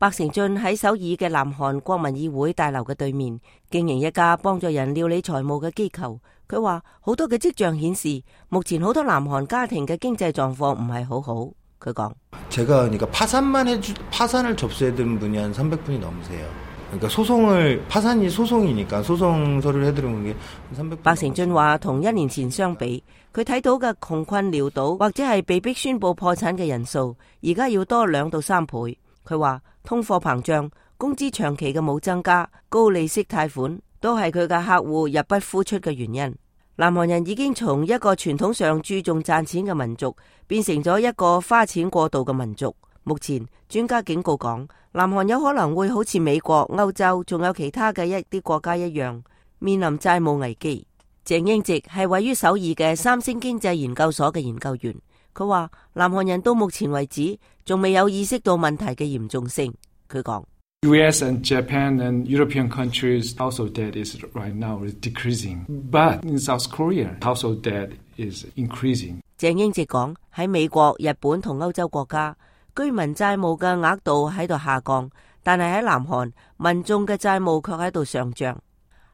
白成俊喺首爾嘅南韓國民議會大樓嘅對面經營一家幫助人料理財務嘅機構。佢話好多嘅跡象顯示，目前好多南韓家庭嘅經濟狀況唔係好好。佢講：제가 그러니까 파산을 접수해드린 분이 한 300분이 넘으세요. 그러니까 파산이 소송이니까 소송 서류를 해드리는 게 300분。白成俊話，同1年前相比，佢睇到嘅窮困潦倒或者係被逼宣布破產嘅人數，而家要多2到3倍。佢話通貨膨脹、工資長期嘅冇增加、高利息貸款都係佢嘅客戶入不敷出嘅原因。南韓人已經從一個傳統上注重賺錢嘅民族，變成咗一個花錢過度嘅民族。目前專家警告講，南韓有可能會好似美國、歐洲仲有其他嘅一啲國家一樣，面臨債務危機。鄭英植係位於首爾嘅三星經濟研究所嘅研究員。佢話南韓人到目前為止仲未有意識到問題嘅嚴重性。佢講US and Japan and European countries household debt is right now is decreasing, but in South Korea household debt is increasing。鄭英植講喺美國、日本同歐洲國家，居民債務嘅額度喺度下降，但係喺南韓民眾嘅債務卻喺度上漲。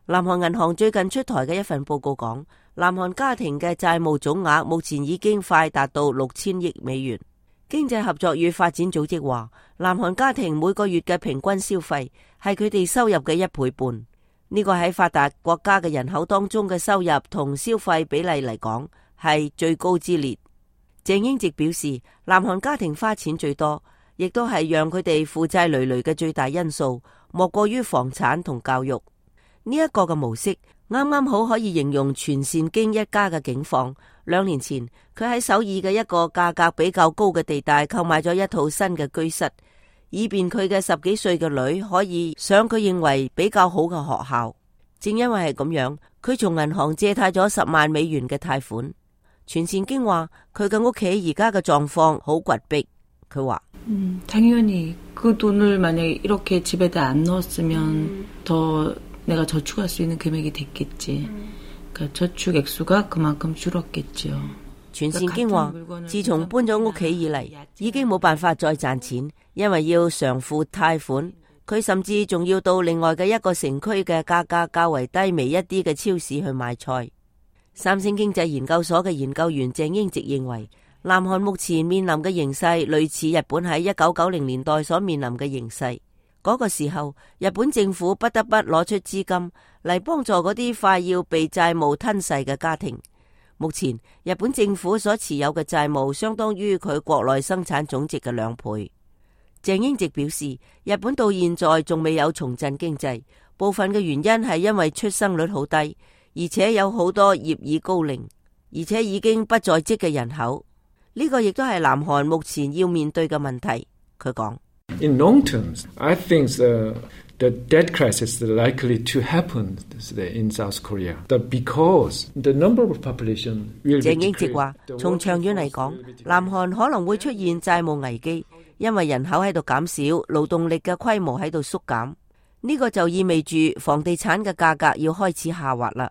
南韓銀行最近出台嘅一份報告講，南韓家庭嘅債務總額目前已經快達到6000億美元。經濟合作與發展組織話，南韓家庭每個月嘅平均消費係佢哋收入嘅1倍半。呢個喺發達國家嘅人口當中嘅收入同消費比例嚟講係最高之列。鄭英植表示，南韓家庭花錢最多，亦都係讓佢哋負債累累嘅最大因素，莫過於房產同教育。呢一個嘅模式啱啱好可以形容全善京一家嘅境況。2年前，佢喺首爾嘅一個價格比較高嘅地帶購買咗一套新嘅居室，以便佢嘅10幾歲嘅女可以上佢認為比較好嘅學校。正因為係咁樣，佢從銀行借貸咗10萬美元嘅貸款。全善京話佢嘅屋企而家嘅狀況好窘迫。佢話당연히 그 돈을 만약에 이렇게 집에다 안 넣었으면 더 내가 저축할 수 있는 금액이 됐겠지. 그러니까 저축 액수가 그만큼 줄었겠죠. 全善京話自從搬咗屋企以嚟，已經冇辦法再賺錢，因為要償付貸款。佢甚至仲要到另外嘅一個城區嘅價格較為低微一啲嘅超市去買菜。三星經濟研究所嘅研究員鄭英植認為，南韓目前面臨嘅形勢類似日本喺1990年代所面臨嘅形勢。嗰個時候，日本政府不得不攞出資金嚟幫助嗰啲快要被債務吞噬嘅家庭。目前，日本政府所持有嘅債務相當於佢國內生產總值嘅2倍。鄭英植表示，日本到現在仲未有重振經濟，部分嘅原因係因為出生率好低，而且有好多業已高齡，而且已經不在職嘅人口。呢個亦都係南韓目前要面對嘅問題。佢講In long terms, I think the debt crisis is likely to happen in South Korea. Because the number of population will be decreased. 鄭英植話，從長遠嚟講，南韓可能會出現債務危機，因為人口喺度減少，勞動力嘅規模喺度縮減。呢個就意味住房地產嘅價格要開始下滑啦。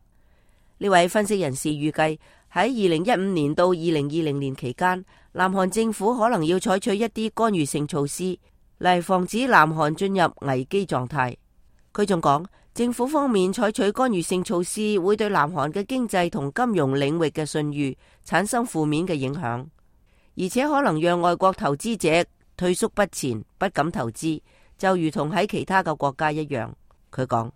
呢位分析人士預計喺2015年到2020年期間，南韓政府可能要採取一啲干預性措施嚟防止南韓進入危機狀態。佢仲講，政府方面採取干預性措施會對南韓嘅經濟同金融領域嘅信譽產生負面嘅影響，而且可能讓外國投資者退縮不前，不敢投資，就如同喺其他嘅國家一樣。佢講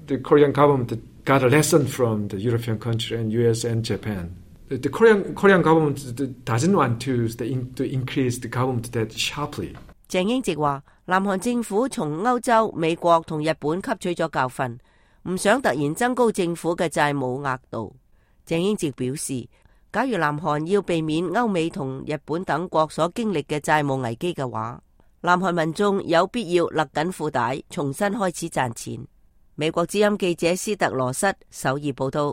The Korean government got a lesson from the European country and US and Japan. The Korean government doesn't want to increase the government debt sharply. 鄭英植話，南韓政府從歐洲、美國同日本吸取咗教訓，唔想突然增高政府嘅債務額度。鄭英植表示，假如南韓要避免歐美同日本等國所經歷嘅債務危機嘅話，南韓民眾有必要勒緊褲帶，重新開始賺錢。美國之音記者斯特羅瑟首爾報道。